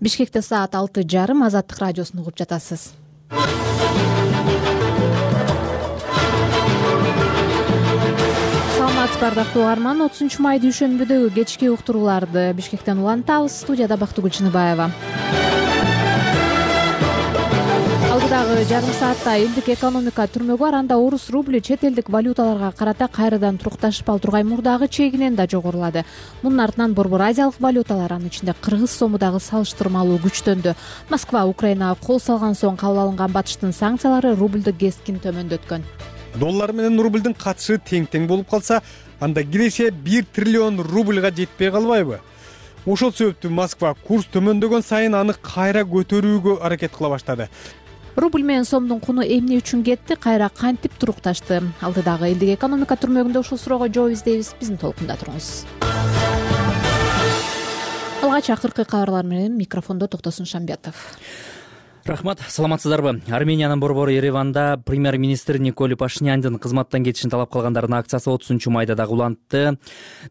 Бишкекте саат 6:30. Азаттык радиосун угуп жатасыз. Саламатсызбы ардактуу угарман. 30 май дүйшөмбүдөгү кечки уктурууларды Бишкектен улантабыз. Студияда Бактыгүл Чыныбаева. Алдыдагы жарым саатта элдик экономика түрмөгү бар. Анда орус рубли чет элдик валюталарга карата кайрадан турукташпал тургай мурдагы чегинен да жогорулады. Мунун артынан борбор азиялык валюталар, анын ичинде кыргыз сому дагы салыштырмалуу күчтөндү. Москва Украинага кол салган соң кабыл алынган батыштын санкциялары рубльду кескин төмөндөткөн. Доллар менен рубльдин катышы тең болуп калса, анда киреше 1 триллион рубльга жетпей калбайбы? Ошол себептүү Москва курс төмөндөгөн сайын аны кайра көтөрүүгө аракет кыла баштады. Рубль менен сомдун куну эмне үчүн кетти, кайра кантип турукташты? Алдыдагы элдик экономика түрмөгүндө ушул суроого жооп издейбиз. Биздин толкунда туруңуз. Алгач акыркы кабарлар менен микрофондо Токтосун Шамбетов. Рахмат, саламатсыздарбы? Армениянын борбору Ереванда премьер-министр Николай Пашиняндын кызматтан кетишин талап кылгандардын акциясы 30 майда дагы улантты.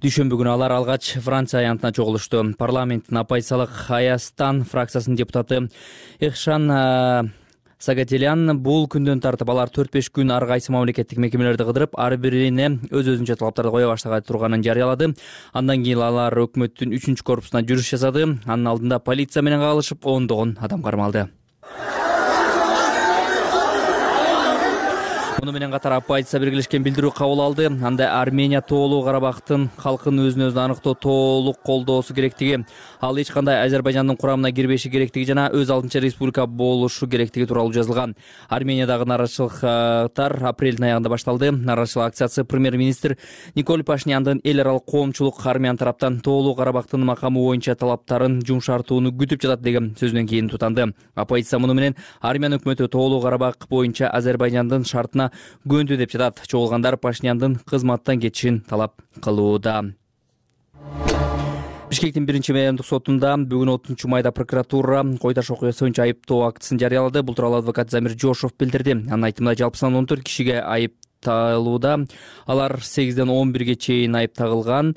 Дүйшөмбү күнү алар алгач Франция аянтына чогулушту. Парламенттин оппозициялык Аястан фракциясынын депутаты Эхшан Сагателян бул күндөн тартып алар 4-5 күн ар кайсы мамлекеттик мекемелерди кыдырып, ар бирине өз-өзүнчө талаптарды кое баштаган турганын жарыялады. Андан кийин алар өкмөттүн 3-корпусуна жүрүш жасады. Анын алдында полиция менен кагылышып, ондогон адам кармалды. Муну менен катар оппозиция биргелешкен билдирүү кабыл алды. Анда Армения тоолуу Карабактын калкын өзүн-өзү аныктоо толук колдоосу керектиги, ал эч кандай Азербайжандын курамына кирбеши керектиги жана өз алдынча республика болушу керектиги тууралуу жазылган. Армениядагы нааразычылыктар апрелдин аягында башталды. Нааразычылык акциясы премьер-министр Николай Пашиняндын эл аралык коомчулук армиян тараптан тоолуу Карабактын макамы боюнча талаптарын жумшартууну күтүп жатат деген сөзүнөн кийин тутанды. Оппозиция муну менен армян өкмөтү тоолуу Карабак боюнча Азербайжандын шартына көндү деп жатат. Чогулгандар Пашиняндын кызматтан кетишин талап кылууда. Бишкектин 1-райондук сотунда бүгүн 30 майда прокуратура кой таш окуясы боюнча айыптоо актысын жарыялады. Бул тууралуу адвокат Замир Жошов билдирди. Анын айтымында жалпы саны 14 кишиге айыпталууда. Алар 8-ден 11ге чейин айыпталган.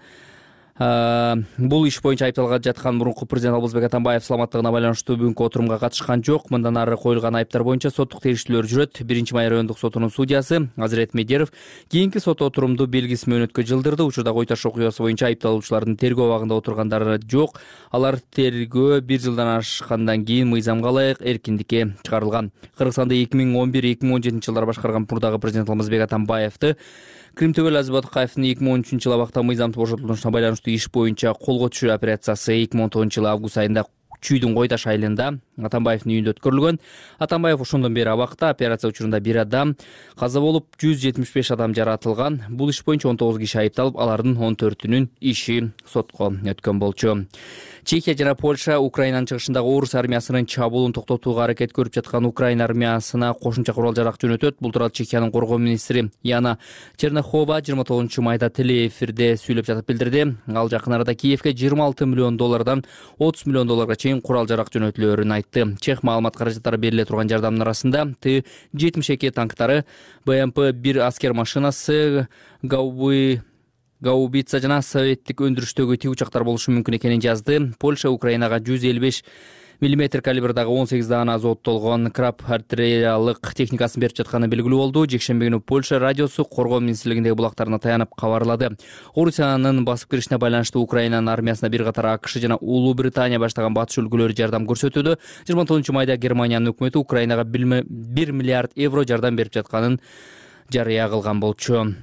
Бул иш боюнча айыпталган жаткан мурунку президент Албузбек Атамбаев саламаттыгына байланыштуу бүгүнкү отурумга катышкан жок. Мындан ары коюлган айыптар боюнча соттук териштирүүлөр жүрөт. 1-май райондук сотунун судьясы Азирет Медеров кийинки сот отурумду белгисиз мөөнөткө жылдырды. Учурда кой таш окуясы боюнча айыпталуучулардын тергөө абагында отургандары жок. Алар тергөө 1 жылдан ашкандан кийин мыйзамга ылайык эркиндикке чыгарылган. Кыргызстанда 2011-2017 жылдары башкарган мурдагы президент Албузбек Атамбаевди Кримтөгөл Азбатыкаевдин 2013-жылы абакта мыйзамдуу бошотулушуна байланыштуу иш боюнча колго түшүрүү операциясы 2019-жылы август айында Чүйдүн Кой таш айылында Атамбаевдин үйүндө өткөрүлгөн. Атамбаев ошондон бери абакта. Операция учурунда 1 адам каза болуп, 175 адам жаратылган. Бул иш боюнча 19 киши айыпталып, алардын 14-үнүн иши сотко өткөн болчу. Чехия жана Польша Украинанын чыгышындагы орус армиясынын чабуулун токтотууга аракет көрүп жаткан Украина армиясына кошумча курал-жарак жөнөтөт. Бул тууралуу Чехиянын коргоо министри Яна Чернохова 29-майда телеэфирде сүйлөп жатып билдирди. Ал жакын арада Киевге $26 миллион $30 миллион чейин курал-жарак жөнөтүлөөрүн айтты. Чех маалымат каражаттары бериле турган жардамдын арасында Т-72 танктары, БМП-1 аскер машинасы, гаубица жана советтик өндүрүштөгү тик учактар болушу мүмкүн экенин жазды. Польша Украинага 155 мм калибрдагы 18 даана азоттолгон краб артиллериялык техникасын берип жатканы белгилүү болду. Жекшемби күнү Польша радиосу коргоо министрлигиндеги булактарына таянып кабарлады. Орусиянын басып киришине байланыштуу Украинанын армиясына бир катар АКШ жана Улуу Британия баштаган батыш өлкөлөрү жардам көрсөтүүдө. 29-майда Германиянын өкмөтү Украинага 1 миллиард евро жардам берип жатканын жарыя кылган болчу.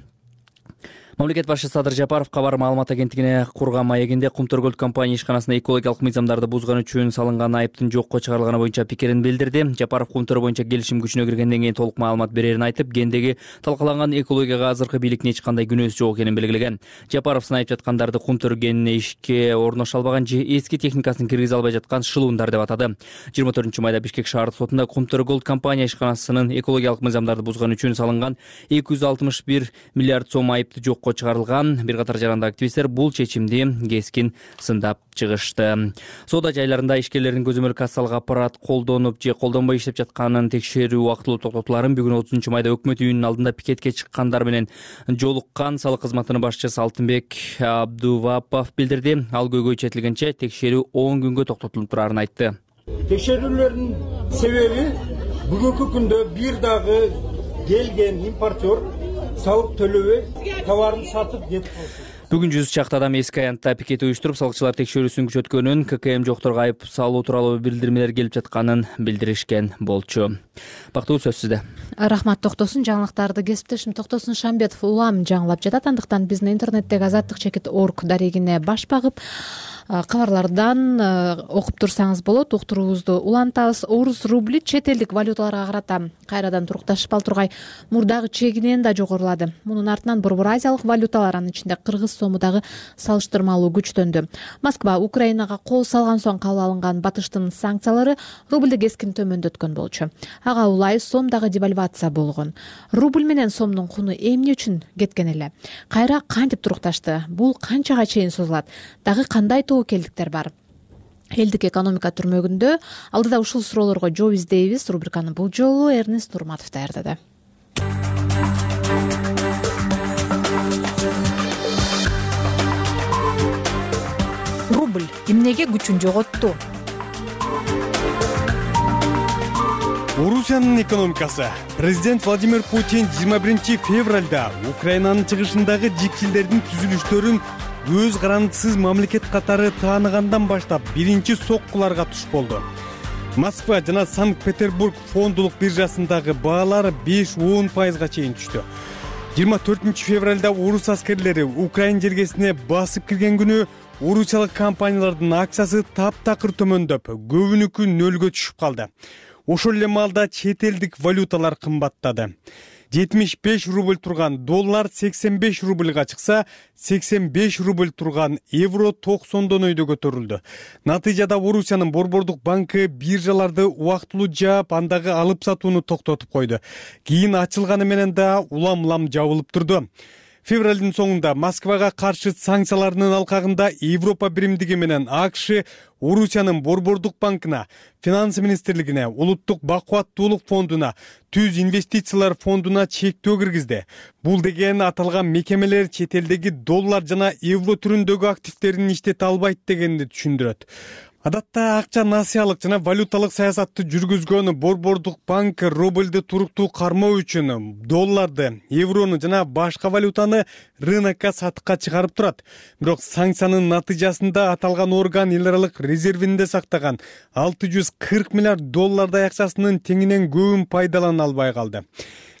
Мамлекет башчысы Садыр Жапаров кабар маалымат агенттигине курган маегинде Кумтөргөл компания ишканасына экологиялык мыйзамдарды бузган үчүн салынган айыптын жокко чыгарылганы боюнча пикирин билдирди. Жапаров Кумтөр боюнча келишим күчүнө киргенден кийин толук маалымат берерин айтып, гендеги талкаланган экологияга азыркы бийликтин эч кандай күнөөсү жок экенин белгилеген. Жапаров снайып жаткандарды Кумтөр кенине ишке орноша албаган же эски техникасын киргизе албай жаткан шылуундар деп атады. 24-майда Бишкек шаардык сотунда Кумтөргөл компания ишканасынын экологиялык мыйзамдарды бузган үчүн салынган 261 миллиард сом айыпты жокко жокко чыгарылган. Бир катар жарандык активисттер бул чечимди кескин сындап чыгышты. Соода жайларында ишкерлердин көзөмөл кассалык аппарат колдонуп же колдонбой иштеп жатканын текшерүү убактылуу токтотуларын бүгүн 30 майда өкмөт үйүнүнүн алдында пикетке чыккандар менен жолуккан салык кызматынын башчысы Алтынбек Абдувапов билдирди. Ал көйгөй четилгенче текшерүү 10 күнгө токтотулуп турарын айтты. Текшерүүлөрдүн себеби бүгүнкү күндө бир дагы келген импортер салык төлөбөй товарын сатып кетип калды. Бүгүн 100 чакты адам эски аянтта пикет уюштуруп, салыкчылар текшерүүсүн күчөткөнүн, ККМ жокторго айып салуу тууралуу билдирмелер келип жатканын билдиришкен болчу. Бактуу, сөз сизде. Рахмат. Токтосун жаңылыктарды кесиптешим Токтосун Шамбетов улам жаңылап жатат. Андыктан биздин интернеттеги azаттык.org дарегине баш багып кабарлардан окуп турсаңыз болот. Уктуруубузду улантабыз. Орус рубли чет элдик валюталарга карата кайрадан турукташып ал тургай мурдагы чегинен да жогорулады. Мунун артынан Борбор Азиялык валюталар, анын ичинде кыргыз сому дагы салыштырмалуу күчтөндү. Москва Украинага кол салган соң кабыл алынган батыштын санкциялары рубльди кескин төмөндөткөн болчу. Ага улай сом дагы девальвация болгон. Рубль менен сомдун куну эмне үчүн кеткен эле? Кайра кантип турукташты? Бул канчага чейин созулат? Дагы кандай тобокелдиктер бар? Элдик экономика түрмөгүндө алдыда ушул суроолорго жооп издейбиз. Рубриканы бул жолу Эрнест Турматов даярдады. Рубль эмнеге күчүн жоготту? Орусиянын экономикасы. Президент Владимир Путин 21 февралда Украинанын чыгышындагы жикчилдердин түзүлүштөрүн өз гарантысыз мамлекет катары тааныгандан баштап биринчи соккуларга туш болду. Москва жана Санкт-Петербург фондулук биржасындагы баалар 5-10% чейин түштү. 24 февралда орус аскерлери Украин жергесине басып кирген күнү орусиялык компаниялардын акциясы таптакыр төмөндөп, көбүнүкү нөлгө түшүп калды. Ошол эле маалда чет элдик валюталар кымбаттады. 75 рубль турган доллар 85 рубльга чыкса, 85 рубль турган евро 90 өйдө көтөрүлдү. Натыйжада Орусиянын Борбордук банкы биржаларды убактылуу жаап, андагы алып сатууну токтотуп койду. Кийин ачылганы менен да улам жабылып турду. Февралдын соңунда Москвага каршы санкциялардын алкагында Европа биримдиги менен АКШ Орусиянын Борбордук банкына, Финанс министрлигине, Улуттук бакубаттуулук фондуна, Түз инвестициялар фондуна чектөө киргизди. Бул деген аталган мекемелер чет элдеги доллар жана евро түрүндөгү активтерин иштете албайт дегенди түшүндүрөт. Адатта акча насыялык жана валюталык саясатты жүргүзгөн Борбордук банк рубльди туруктуу кармоо үчүн долларды, еврону жана башка валютаны рынокко сатыкка чыгарып турат. Бирок санкциянын натыйжасында аталган орган эл аралык резервинде сактаган 640 миллиард доллардай акчасынын теңинен көбүн пайдалана албай калды.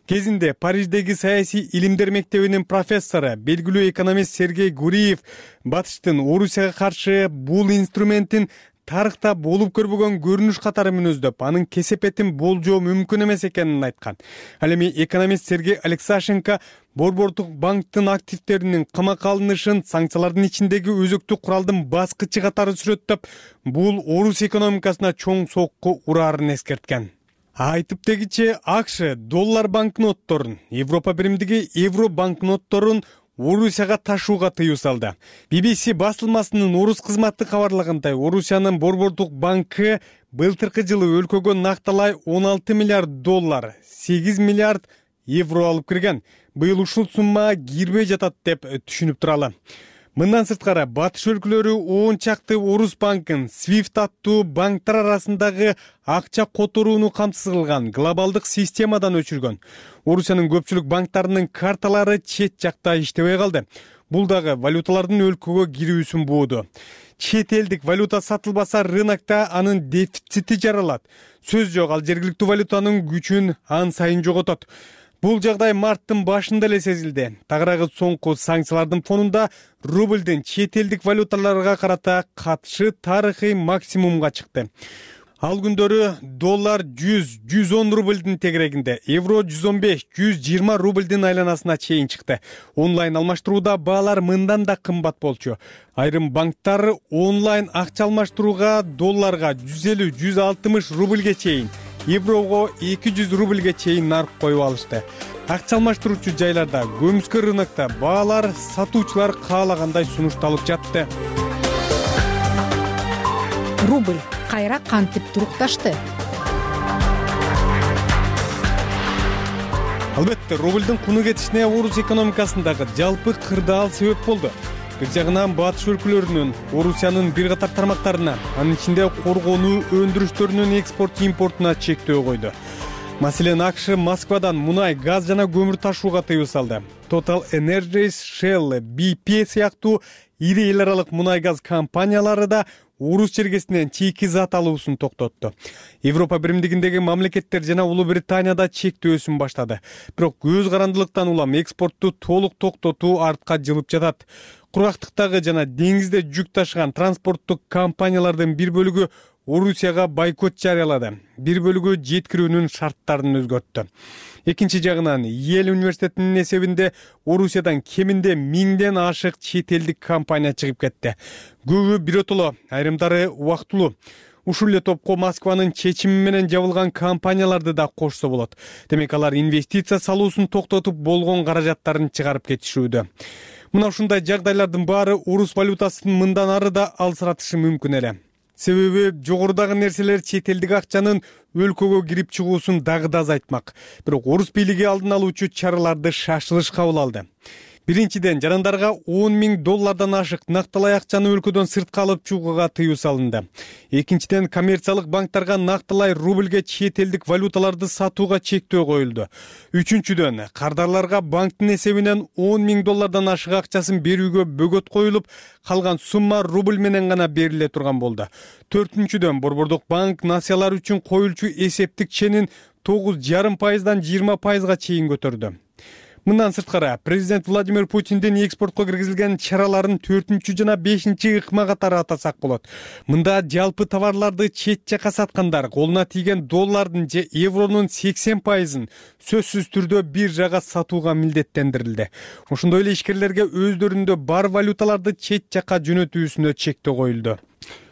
Кезинде Париждеги саясий илимдер мектебинин профессору, белгилүү экономист Сергей Гуриев батыштын Орусияга каршы бул инструментин тарыхта болуп көрбөгөн көрүнүш катары мүнөздөп, анын кесепетин болжоо мүмкүн эмес экенин айткан. Ал эми экономист Сергей Алексашенко Борбордук банктын активтеринин камакка алынышын санкциялардын ичиндеги өзөктүү куралдын баскычы катары сүрөттөп, бул Орус экономикасына чоң сокку урарын эскерткен. Айтып дегиче АКШ доллар банкнотторун, Европа биримдиги евро банкнотторун Орусияга ташууга тыюу салды. BBC басылмасынын орус кызматы кабарлагандай, Орусиянын Борбордук банкы былтыркы жылы өлкөгө накталай 16 миллиард доллар, 8 миллиард евро алып кирген. Быйыл ушул сумма кирбей жатат деп түшүнүп туралы. Мындан сырткары батыш өлкөлөрү 10 чакты орус банкын SWIFT аттуу банктар арасындагы акча которууну камсыз кылган глобалдык системадан өчүргөн. Орусиянын көпчүлүк банктарынын карталары чет жакта иштебей калды. Бул дагы валюталардын өлкөгө кирүүсүн бууду. Чет элдик валюта сатылбаса, рынокто анын дефицити жаралат. Сөз жок, ал жергиликтүү валютанын күчүн ан сайын жоготот. Бул жагдай марттын башында эле сезилди. Тагыраагы соңку санкциялардын фонунда рубльдин чет элдик валюталарга карата катышы тарыхый максимумга чыкты. Ал күндөрү доллар 100-110 рубльдин тегерегинде, евро 115-120 рубльдин айланасына чейин чыкты. Онлайн алмаштырууда баалар мындан да кымбат болчу. Айрым банктар онлайн акча алмаштырууга долларга 150-160 рубльге чейин, еврого 200 рубльге чейин нарып коюп алышты. акча алмаштыруучу жайларда, көмүскө рынокто баалар сатуучулар каалагандай сунушталып жатты. Рубль кайра кантип турукташты? Албетте, рубльдин куну кетишине орус экономикасындагы жалпы кырдаал себеп болду. Бир жагынан батыш өлкөлөрүнүн, Орусиянын бир катар тармактарына, анын ичинде коргонуу өндүрүштөрүнүн экспорт-импортуна чектөө койду. Маселен, АКШ Москвадан мунай, газ жана көмүр ташууга тыюу салды. Total Energies, Shell, BP сыяктуу ири эл аралык мунай-газ компаниялары да орус чергесинен чийки зат алуусун токтотту. Европа биримдигиндеги мамлекеттер жана Улуу Британияда чектөөсүн баштады. Бирок көз карандылыктан улам экспортту толук токтотуу артка жылып жатат. Кургактыктагы жана деңизде жүк ташыган транспорттук компаниялардын бир бөлүгү Орусияга бойкот жарыялады. Бир бөлүгү жеткирүүнүн шарттарын өзгөрттү. Экинчи жагынан, Йель университетинин эсебинде Орусиядан кеминде 1000ден ашык чет элдик компания чыгып кетти. Көбү биротоло, айрымдары убактылуу. Ушул эле топко Москванын чечими менен жабылган компанияларды да кошсо болот. Демек, алар инвестиция салуусун токтотуп болгон каражаттарын чыгарып кетишүүдө. Мына ушундай жагдайлардын баары орус валютасын мындан ары да алсыратышы мүмкүн эле. Себеби жогорудагы нерселер чет элдик акчанын өлкөгө кирип чыгуусун дагы да азайтмак. Бирок орус бийлиги алдын алуучу чараларды шашылыш кабыл алды. Биринчиден, жарандарга $10,000 ашык нактылай акчаны өлкөдөн сыртка алып чыгууга тыюу салынды. Экинчиден, коммерциялык банктарга нактылай рубльге чет элдик валюталарды сатууга чектөө коюлду. Үчүнчүдөн, кардарларга банктын эсебинен $10,000 ашык акчасын берүүгө бөгөт коюлуп, калган сумма рубль менен гана бериле турган болду. Төртүнчүдөн, Борбордук банк насыялар үчүн коюлчу эсептик ченин 9,5%дан 20%га чейин көтөрдү. Мындан сырткары, президент Владимир Путиндин экспортко киргизилген чараларын 4 жана 5 ыкма катары атасак болот. Мында жалпы товарларды чет жака саткандар колуна тийген доллардын же евронун 80%-ын сөзсүз түрдө бир жага сатууга милдеттендирилди. Ошондой эле ишкерлерге өздөрүндө бар валюталарды чет жака жөнөтүүсүнө чектөө коюлду.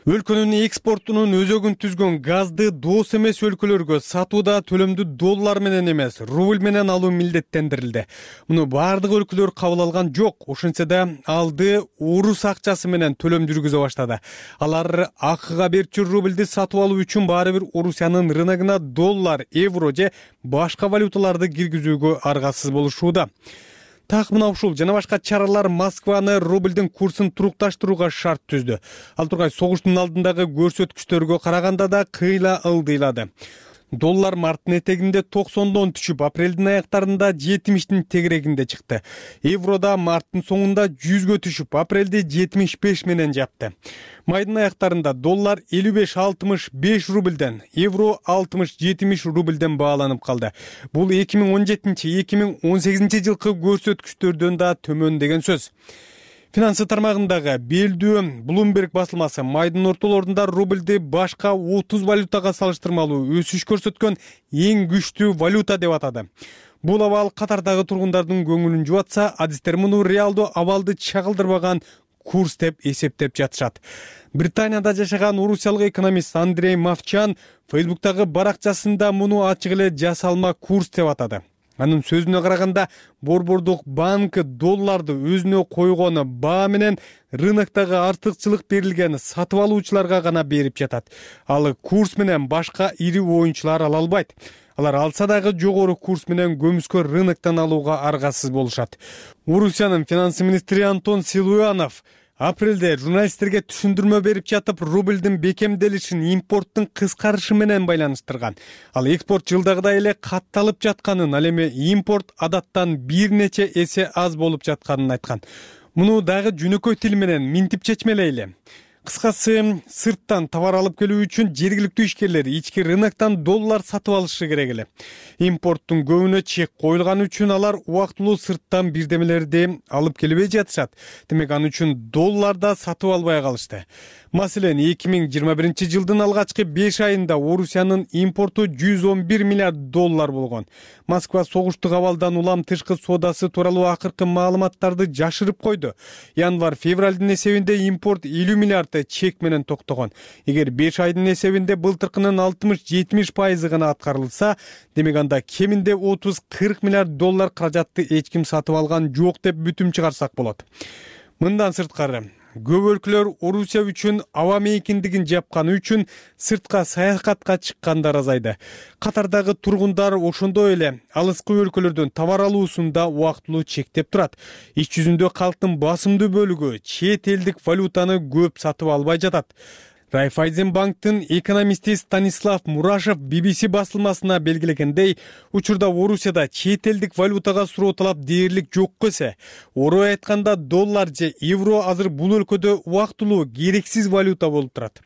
Өлкөнүн экспортунун өзөгүн түзгөн газды дос эмес өлкөлөргө сатууда төлөмдү доллар менен эмес, рубль менен алуу милдеттендирилди. Муну бардык өлкөлөр кабыл алган жок. Ошентсе да алды орус акчасы менен төлөм жүргүзө баштады. Алар акыга берчү рубльди сатып алуу үчүн баары бир Орусиянын рыногуна доллар, евро же башка валюталарды киргизүүгө аргасыз болушууда. Так мына ушул жана башка чаралар Москваны рубльдин курсун турукташтырууга шарт түздү. Ал тургай согуштун алдындагы көрсөткүчтөргө караганда да кыйла ылдыйлады. Доллар марттын этегинде 90дон түшүп, апрелдин аяктарында 70тин тегерегинде чыкты. Еврода марттын соңунда 100гө түшүп, апрелде 75 менен жапты. Майдын аяктарында доллар 55-65 рубльден, евро 60-70 рубльден бааланып калды. Бул 2017-2018 жылкы көрсөткүчтөрдөн да төмөн деген сөз. Финансы тармагындагы белдүү Bloomberg басылмасы майдын ортолорунда рубльди башка 30 валютага салыштырмалуу өсүш көрсөткөн эң күчтүү валюта деп атады. Бул абал катардагы тургундардын көңүлүн жубатса, адистер муну реалдуу абалды чагылдырбаган курс деп эсептеп жатышат. Британияда жашаган орусиялык экономист Андрей Мовчан Фейсбуктагы баракчасында муну ачык эле жасалма курс деп атады. Анын сөзүнө караганда, Борбордук банк долларды өзүнө койгону баа менен рыноктогу артыкчылык берилген сатып алуучуларга гана берип жатат. Ал курс менен башка ири оюнчулар ала албайт. Алар алса дагы жогору курс менен көмүскө рыноктон алууга аргасыз болушат. Орусиянын финансы министри Антон Силуянов апрелде журналисттерге түшүндүрмө берип жатып, рубльдин бекемделишин импорттун кыскарышы менен байланыштырган. Ал экспорт жылдагыдай эле катталып жатканын, ал эми импорт адаттан бир нече эсе аз болуп жатканын айткан. Муну дагы жөнөкөй тил менен минтип чечмелейли. Кыскасы, сырттан товар алып келүү үчүн жергиликтүү ишкерлер ички рыноктон доллар сатып алышы керек эле. Импорттун көбүнө чек коюлган үчүн алар убактылуу сырттан бирдемелерди алып келбей жатышат. Демек, аны үчүн долларда сатып албай калышты. Маселен, 2021-жылдын алгачкы 5 айында Орусиянын импорту $111 миллиард болгон. Москва согуштук абалдан улам тышкы соодасы тууралуу акыркы маалыматтарды жашырып койду. Январь-февралдын эсебинде импорт 50 миллиард чек менен токтогон. Эгер 5 айдын эсебинде былтыркынын 60-70% гана аткарылса, демек анда кеминде 30-40 миллиард каражатты эч ким сатып алган жок деп бүтүм чыгарсак болот. Мындан сырткары, көп өлкөлөр Орусия үчүн аба мейкиндигин жапканы үчүн сыртка саякатка чыккандар азайды. Катардагы тургундар ошондой эле алыскы өлкөлөрдөн товар алуусунда убактылуу чектеп турат. Иш жүзүндө калктын басымдуу бөлүгү чет элдик валютаны көп сатып албай жатат. Райфайзенбанктын экономисти Станислав Мурашев BBC басылмасына белгилегендей, учурда Орусияда чет элдик валютага суроо талап дээрлик жок эсе. Орой айтканда доллар же евро азыр бул өлкөдө убактылуу керексиз валюта болуп турат.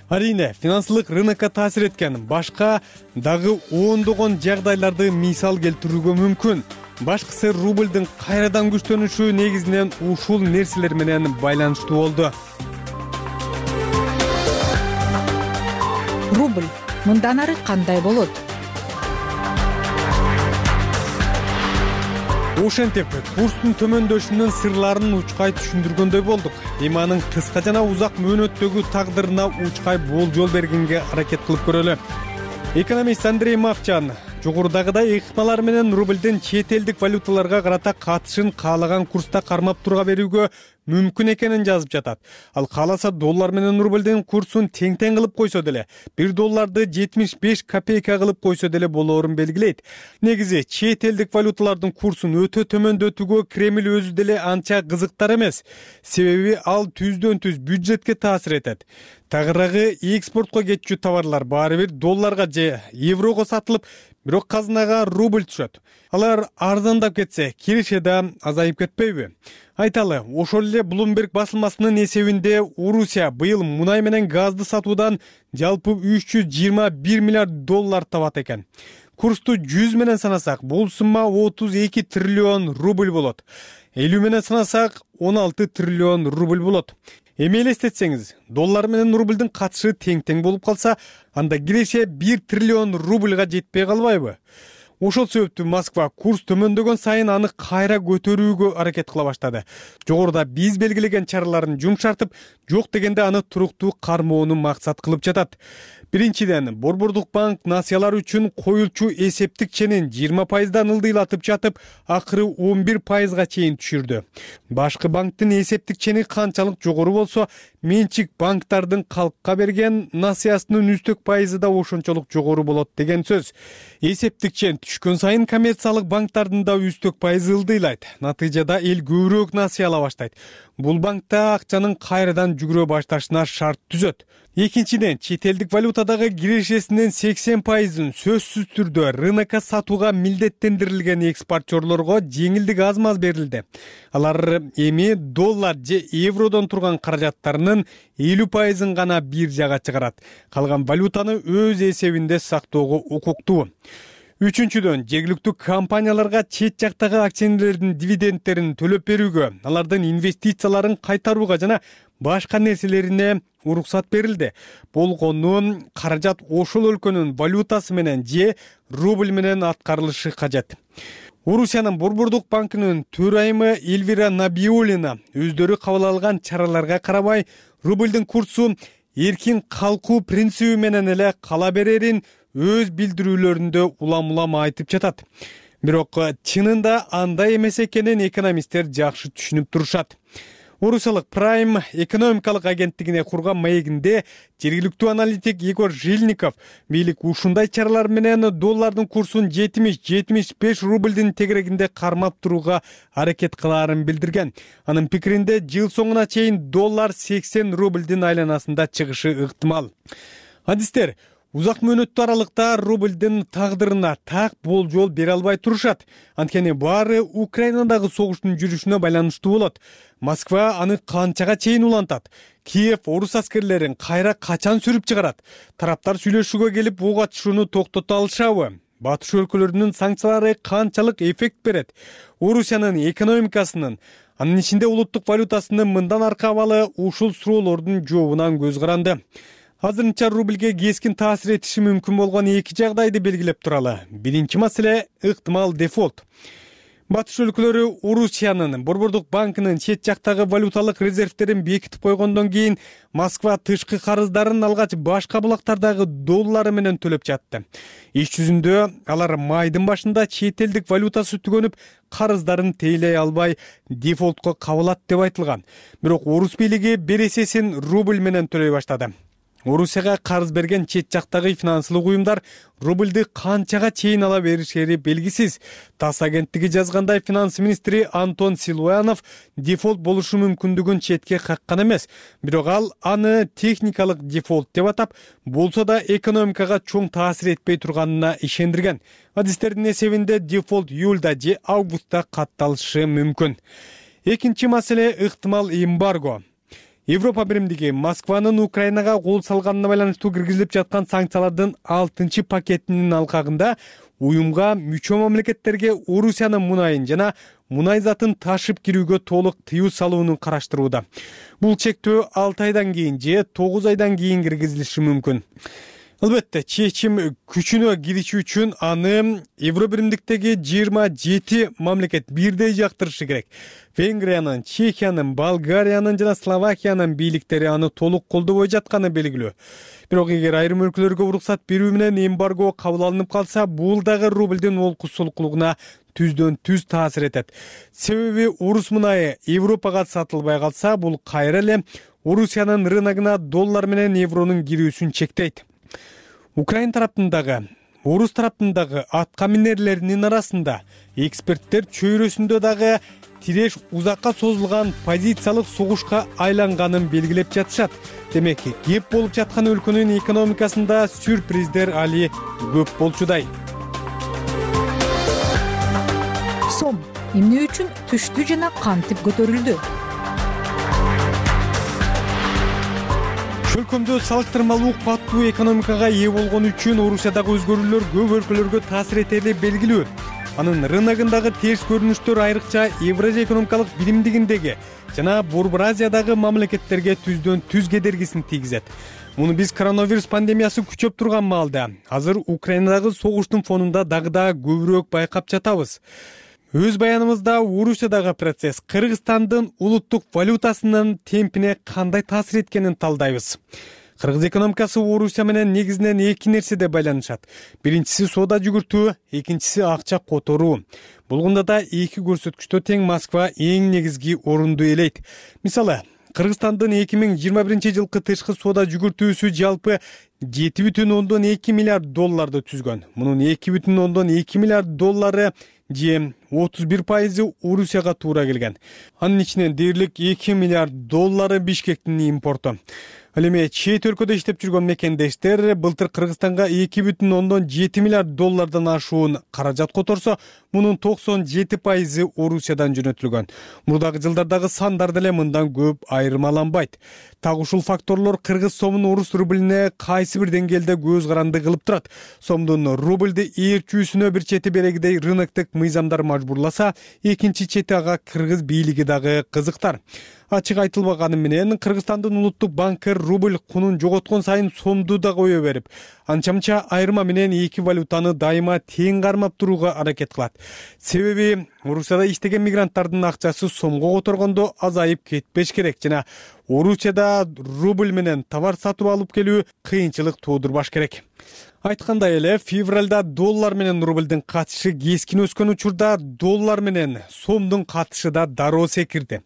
Арийне, финансылык рынокко таасир эткен башка дагы ондогон жагдайларды мисал келтирүүгө мүмкүн. Башкысы рубльдин кайрадан күчтөнүшү негизинен ушул нерселер менен байланыштуу болду. Рубль мындан ары кандай болот? Ошентип, курстун төмөндөшүнүн сырларын учкай түшүндүргөндөй болдук. Эми анын кыска жана узак мөөнөттөгү тагдырына учкай болжол бергенге аракет кылып көрөлү. Экономист Андрей Мовчан жогорудагыдай ыкмалар менен рубльдин чет элдик валюталарга карата катышын каалаган курста кармап турга берүүгө мүмкүн экенин жазып жатат. Ал кааласа доллар менен рубльдин курсун тең-тең кылып койсо деле, $1 75 копейка кылып койсо деле болоорун белгилейт. Негизи чет элдик валюталардын курсун өтө төмөндөтүүгө Кремль өзү деле анча кызыктар эмес. Себеби ал түздөн-түз бюджетке таасир этет. Тагыраагы экспортко кетчү товарлар баары бир долларга же еврого сатылып, бирок казынага рубль түшөт. Алар арзандап кетсе, киреше да азайып кетпейби? Айталы, ошол эле Bloomberg басылмасынын эсебинде Орусия быйыл мунай менен газды сатуудан жалпы $321 миллиард табат экен. Курсту 100 менен санасак, бул сумма 32 триллион рубль болот. 50 менен санасак, 16 триллион рубль болот. Эми элестетсеңиз, доллар менен рубльдин катышы тең-тең болуп калса, анда киреше 1 триллион рубльга жетпей калбайбы? Ошол себептүү Москва курс төмөндөгөн сайын аны кайра көтөрүүгө аракет кыла баштады. Жогоруда биз белгилеген чараларын жумшартып, жок дегенде аны туруктуу кармоону максат кылып жатат. Биринчиден, Борбордук банк насыялар үчүн коюлчу эсептик ченин 20%дан ылдыйлатып жатып, акыры 11%га чейин түшүрдү. Башкы банктын эсептик чени канчалык жогору болсо, менчик банктардын калкка берген насыясынын үстөк пайызы да ошончолук жогору болот деген сөз. Эсептик чен түшкөн сайын коммерциялык банктардын да үстөк пайызы ылдыйлайт. Натыйжада эл көбүрөөк насыя ала баштайт. Бул банкта акчанын кайрадан жүгүрө башташына шарт түзөт. Экинчиден, чет элдик валютадагы кирешесинин 80%-ын сөзсүз түрдө рынокко сатууга милдеттендирилген экспортерлорго жеңилдик аз-маз берилди. Алар эми доллар же евродон турган каражаттарынын 50%-ын гана бир жага чыгарат. Калган валютаны өз эсебинде сактоого укуктуу. Үчүнчүдөн, жергиликтүү компанияларга чет жактагы акционерлердин дивидендтерин төлөп берүүгө, алардын инвестицияларын кайтарууга жана башка нерселерине уруксат берилди. Болгону каражат ошол өлкөнүн валютасы менен же рубль менен аткарылышы кажет. Орусиянын Борбордук банкынын төрайымы Эльвира Набиуллина өздөрү кабыл алган чараларга карабай, рубльдин курсу эркин калкуу принциби менен эле кала берерин өз билдирүүлөрүндө улам-улам айтып жатат. Бирок чынында андай эмес экенин экономисттер жакшы түшүнүп турушат. Орусиялык Prime экономикалык агенттигине курган маегинде жергиликтүү аналитик Егор Жильников бийлик ушундай чаралар менен доллардын курсун 70-75 рубльдин тегерегинде кармап турууга аракет кылаарын билдирген. Анын пикиринде жыл соңуна чейин доллар 80 рубльдин айланасында чыгышы ыктымал. Адистер узак мөөнөттүү аралыкта рубльдин тагдырына так болжол бере албай турушат. Анткени баары Украинадагы согуштун жүрүшүнө байланыштуу болот. Москва аны канчага чейин улантат? Киев орус аскерлерин кайра качан сүрүп чыгарат? Тараптар сүйлөшүүгө келип ок атышууну токтото алышабы? Батыш өлкөлөрүнүн санкциялары канчалык эффект берет? Орусиянын экономикасынын, Анын ичинде улуттук валютасынын мындан аркы абалы ушул суроолордун жообунан көз каранды. Азырынча рубльге кескин таасир этиши мүмкүн болгон эки жагдайды белгилеп туралы. Биринчи маселе ыктымал дефолт. Батыш өлкөлөрү Орусиянын Борбордук банкынын чет жактагы валюталык резервтерин бекитип койгондон кийин Москва тышкы карыздарын алгач башка булактардагы доллары менен төлөп жатты. Иш жүзүндө алар майдын башында чет элдик валютасы түгөнүп, карыздарын тейлей албай дефолтко кабылат деп айтылган. Бирок орус бийлиги бересесин рубль менен төлөй баштады. Орусияга карыз берген чет жактагы финансылык уюмдар рубльды канчага чейин ала беришери белгисиз. ТАСС агенттиги жазгандай, финанс министри Антон Силуянов дефолт болушу мүмкүндүгүн четке каккан эмес. Бирок ал аны техникалык дефолт деп атап, болсо да экономикага чоң таасир этпей турганына ишендирген. Адистердин эсебинде дефолт июлда же августта катталышы мүмкүн. Экинчи маселе ыктымал эмбарго. Европа биримдиги Москванын Украинага кол салганына байланыштуу киргизилип жаткан санкциялардын 6-чы пакетинин алкагында уюмга мүчө мамлекеттерге Орусиянын мунайын жана мунай затын ташып кирүүгө толук тыюу салууну караштырууда. Бул чектөө 6 айдан кийин же 9 айдан кийин киргизилиши мүмкүн. Албетте, чечим күчүнө кириши үчүн аны Евробиримдиктеги 27 мамлекет бирдей жактырышы керек. Венгриянын, Чехиянын, Болгариянын жана Словакиянын бийликтери аны толук колдобой жатканы белгилүү. Бирок эгер айрым өлкөлөргө уруксат берүү менен эмбарго кабыл алынып калса, бул дагы рубльдин олкусулуклугуна түздөн түз таасир этет. Себеби орус мунайы Европага сатылбай калса, бул кайра эле Орусиянын рыногуна доллар менен евронун кирүүсүн чектейт. Украин тараптындагы, орус тараптындагы атка минерлеринин арасында эксперттер чөйрөсүндө дагы тиреш узакка созулган позициялык согушка айланганын белгилеп жатышат. Демек, кеп болуп жаткан өлкөнүн экономикасында сюрприздер али көп болчудай. Сом эмне үчүн түштү жана кантип көтөрүлдү? Өлкөмдө салыштырмалуу каттуу экономикага ээ болгон үчүн Орусиядагы өзгөрүүлөр көп өлкөлөргө таасир этери белгилүү. Анын рыногундагы терс көрүнүштөр айрыкча Евразия экономикалык биримдигиндеги жана Борбор Азиядагы мамлекеттерге түздөн түз кедергисин тийгизет. Муну биз коронавирус пандемиясы күчөп турган маалда, азыр Украинадагы согуштун фонунда дагы да көбүрөөк байкап жатабыз. Өз баянымызда Орусиядагы процесс Кыргызстандын улуттук валютасынын темпине кандай таасир эткенин талдайбыз. Кыргыз экономикасы Орусия менен негизинен эки нерседе байланышат. Биринчиси соода жүгүртүү, экинчиси акча которуу. Болгондо да эки көрсөткүчтө тең Москва эң негизги орунду ээлейт. Мисалы, Кыргызстандын 2021 жылкы тышкы соода жүгүртүүсү жалпы 7,2 миллиард долларды түзгөн. Мунун 2,2 миллиард доллары же 31% Орусияга туура келген. Анын ичинен дээрлик 2 миллиард доллары Бишкектин импорту. Ал эми чет өлкөдө иштеп жүргөн мекендештер былтыр Кыргызстанга 2,7 миллиард доллардан ашуун каражат которсо, мунун 97% Орусиядан жөнөтүлгөн. Мурдагы жылдардагы сандар деле мындан көп айырмаланбайт. Так ушул факторлор кыргыз сомун орус рублине кайсы бир деңгээлде көз каранды кылып турат. Сомдун рубльди ээрчүүсүнө бир чети берегидей рыноктук мыйзамдар мажбурласа, экинчи чети ага кыргыз бийлиги дагы кызыктар. Ачык айтылбаганы менен Кыргызстандын улуттук банкы рубль кунун жоготкон сайын сомду да кое берип, анча-мынча айырма менен эки валютаны дайыма тең кармап турууга аракет кылат. Себеби Орусияда иштеген мигранттардын акчасы сомго которгондо азайып кетпеш керек жана Орусияда рубль менен товар сатып алып келүү кыйынчылык туудурбаш керек. Айткандай эле, февралда доллар менен рубльдин катышы кескин өскөн учурда доллар менен сомдун катышы да дароо секирди.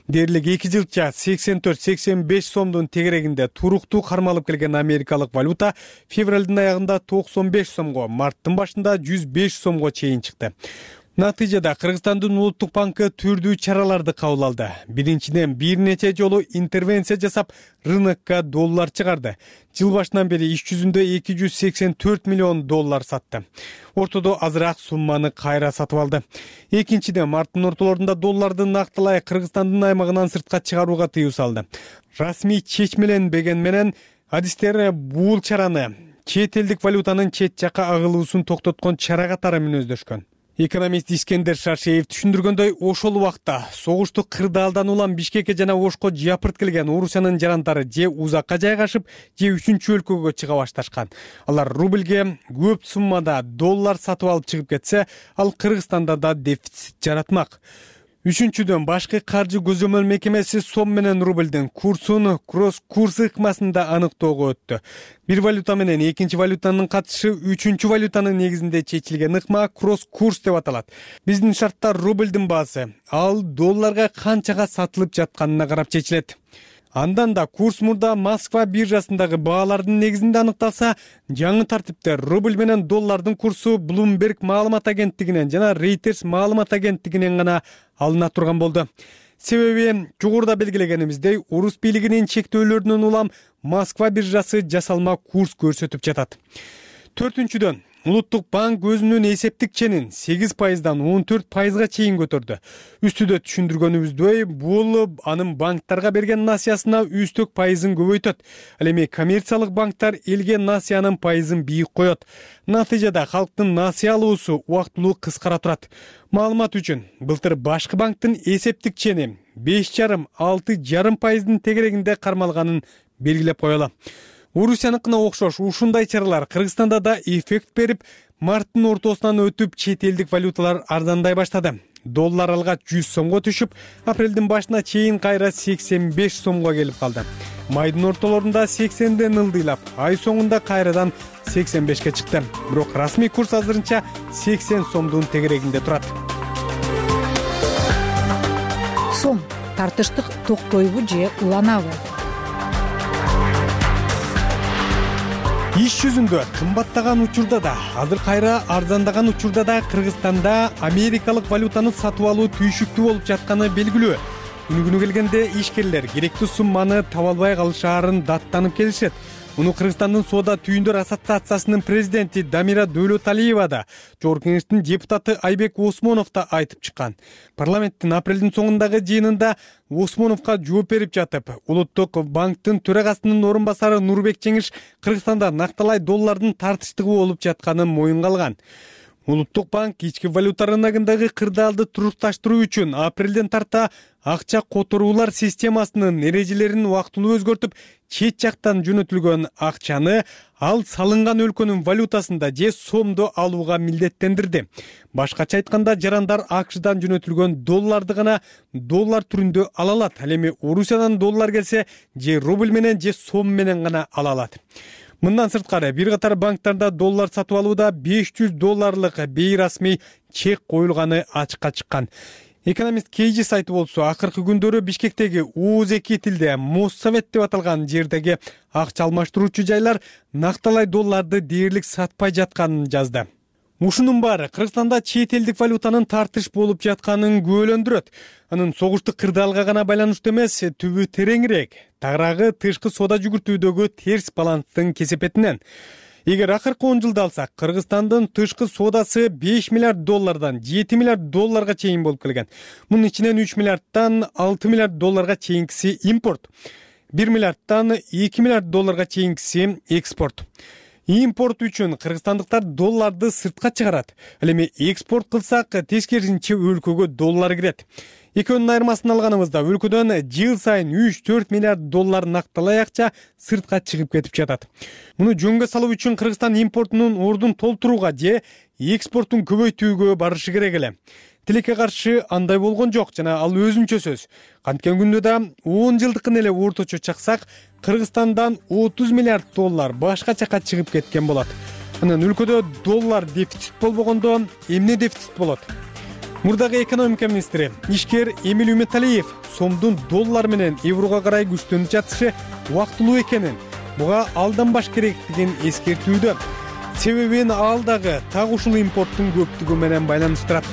Дээрлик 2 жылча 84-85 сомдун тегерегинде туруктуу кармалып келген америкалык валюта февралдын аягында 95 сомго, марттын башында 105 сомго чейин чыкты. Натыйжада Кыргызстандын улуттук банкы түрдүү чараларды кабыл алды. Биринчиден бир нече жолу интервенция жасап, рынокко доллар чыгарды. Жыл башынан бери иш жүзүндө 284 миллион доллар сатты. Ортодо азыраак сумманы кайра сатып алды. Экинчиден марттын ортолорунда долларды нактылай Кыргызстандын аймагынан сыртка чыгарууга тыюу салды. Расмий чечмеленбеген менен адистер бул чараны чет элдик валютанын чет жакка агылуусун токтоткон чара катары мүнөздөшкөн. Экономист Искендер Шаршеев түшүндүргөндөй, ошол убакта согушту кырдаалдан улам Бишкекке жана Ошко жапырт келген Орусиянын жарандары же узакка жайгашып, же үчүнчү өлкөгө чыга башташкан. Алар рубльге көп суммада доллар сатып алып чыгып кетсе, ал Кыргызстанда да дефицит жаратмак. Үчүнчүдөн, башкы каржы көзөмөл мекемеси сом менен рубльдин курсун кросс-курс ыкмасында аныктоого өттү. Бир валюта менен экинчи валютанын катышы үчүнчү валютанын негизинде чечилген ыкма кросс-курс деп аталат. Биздин шартта рубльдин баасы ал долларга канчага сатылып жатканына карап чечилет. Андан да курс мурда Москва биржасындагы баалардын негизинде аныкталса, жаңы тартипте рубль менен доллардын курсу Bloomberg маалымат агенттигинен жана Reuters маалымат агенттигинен гана алына турган болду. Себеби жогоруда белгилегенибиздей, орус бийлигинин чектөөлөрүнөн улам Москва биржасы жасалма курс көрсөтүп жатат. Төртүнчүдөн, Улуттук банк өзүнүн эсептик ченин 8%дан 14%га чейин көтөрдү. Үстүдө түшүндүргөнүбүздөй, бул анын банктарга берген насыясына үстөк пайызын көбөйтөт. Ал эми коммерциялык банктар элге насыянын пайызын бийик коет. Натыйжада халктын насыя алуусу убактылуу кыскара турат. Маалымат үчүн, былтыр башкы банктын эсептик чени 5,5–6,5%дын тегерегинде кармалганын белгилеп коелу. Орусияныкына окшош ушундай чаралар Кыргызстанда да эффект берип, марттын ортосунан өтүп чет элдик валюталар арзандай баштады. Доллар алгач 100 сомго түшүп, апрелдин башына чейин кайра 85 сомго келип калды. Майдын ортолорунда 80ден ылдыйлап, ай соңунда кайрадан 85ке чыкты. Бирок расмий курс азырынча 80 сомдун тегерегинде турат. Сом тартыштык токтойбу же уланабы? Иш жүзүндө кымбаттаган учурда да, азыр кайра арзандаган учурда да Кыргызстанда америкалык валютаны сатып алуу түйшүктүү болуп жатканы белгилүү. Күнү келгенде ишкерлер керектүү сумманы таба албай калышаарын даттанып келишет. Муну Кыргызстандын соода түйүндөр ассоциациясынын президенти Дамира Дөөлөталиева да, Жогорку Кеңештин депутаты Айбек Осмонов да айтып чыккан. Парламенттин апрелдин соңундагы жыйынында Осмоновго жооп берип жатып, Улуттук банктын төрагасынын орун басары Нурбек Жеңиш Кыргызстанда накталай доллардын тартыштыгы болуп жатканын моюнга алган. Улуттук банк ички валюта рыногундагы кырдаалды турукташтыруу үчүн апрелден тарта акча которуулар системасынын эрежелерин убактылуу өзгөртүп, чет жактан жөнөтүлгөн акчаны ал салынган өлкөнүн валютасында же сомдо алууга милдеттендирди. Башкача айтканда, жарандар АКШдан жөнөтүлгөн долларды гана доллар түрүндө ала алат. Ал эми Орусиядан доллар келсе, же рубль менен же сом менен гана ала алат. Мындан сырткары, бир катар банктарда доллар сатып алууда $500 бейрасмий чек коюлганы ачыкка чыккан. Экономист Кейжи сайты болсо, акыркы күндөрү Бишкектеги УЗ2 тилде Моссовет деп аталган жердеги акча алмаштыруучу жайлар накталай долларды дээрлик сатпай жатканын жазды. Ушунун баары Кыргызстанда чет элдик валютанын тартыш болуп жатканын күбөлөндүрөт. Анын согуштук кырдаалга гана байланыштуу эмес, түбү тереңирээк. Тагыраагы тышкы соода жүгүртүүдөгү терс баланстын кесепетинен. Эгер акыркы 10 жылды алсак, Кыргызстандын тышкы соодасы $5 миллиард $7 миллиард чейин болуп келген. Мунун ичинен $3 миллиардтан $6 миллиард чейинкиси импорт, $1 миллиардтан $2 миллиард чейинкиси экспорт. Импорт үчүн кыргызстандыктар долларды сыртка чыгарат. Ал эми экспорт кылсак, тескерисинче өлкөгө доллар кирет. Экөөнүн айырмасын алганыбызда өлкөдөн жыл сайын $3–4 миллиард накталай акча сыртка чыгып кетип жатат. Муну жөнгө салуу үчүн Кыргызстан импортунун ордун толтурууга же экспортун көбөйтүүгө барышы керек эле. Тилекке каршы андай болгон жок жана ал өзүнчө сөз. Канткен күндө да 10 жылдыкын эле орточо чаксак, Кыргызстандан $30 миллиард башка жака чыгып кеткен болот. Анан өлкөдө доллар дефицит болбогондо эмне дефицит болот? Мурдагы экономика министри ишкер Эмиль Үмөталиев сомдун доллар менен еврого карай күчтөнүп жатышы убактылуу экенин, буга алданбаш керектигин эскертүүдө. Себебин ал дагы так ушул импорттун көптүгү менен байланыштырат.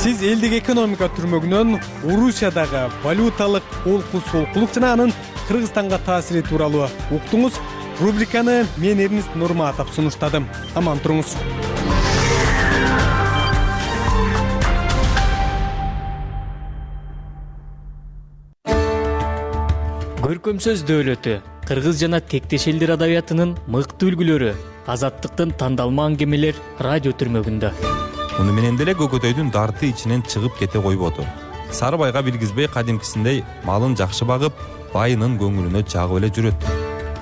Сиз элдик экономика түрмөгүнөн Орусиядагы валюталык олку-солкулук жана анын Кыргызстанга таасири тууралуу уктуңуз. Рубриканы мен Эрнест Нурматов сунуштадым. Аман туруңуз. Көркөм сөз дөөлөтү, кыргыз жана тектеш элдер адабиятынын мыкты үлгүлөрү. Азаттыктын тандалма аңгемелер радио түрмөгүндө. Муну менен деле Көкөтөйдүн дарты ичинен чыгып кете койбоду. Сарыбайга билгизбей кадимкисиндей малын жакшы багып, байынын көңүлүнө жагып эле жүрөт.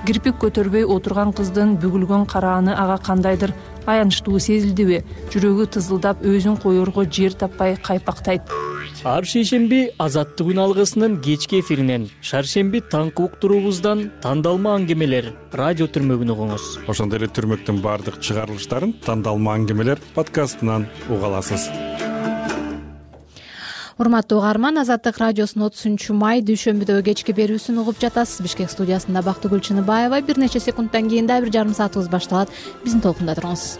Кирпик көтөрбөй отурган кыздын бүгүлгөн карааны ага кандайдыр аянычтуу сезилдиби? Жүрөгү тызылдап, өзүн коерго жер таппай кайпактайт. Ар шейшемби Азаттык үн алгысынын кечки эфиринен, шаршемби таңкы уктуруубуздан тандалма аңгемелер радио түрмөгүн угуңуз. Ошондой эле түрмөктүн баардык чыгарылыштарын тандалма аңгемелер подкастынан уга аласыз. Урматтуу угарман, Азаттык радиосунун 30 май дүйшөмбүдөгү кечки берүүсүн угуп жатасыз. Бишкек студиясында Бактыгүл Чыныбаева. Бир нече секундтан кийин да 1,5 саатыбыз башталат. Биздин толкунда туруңуз.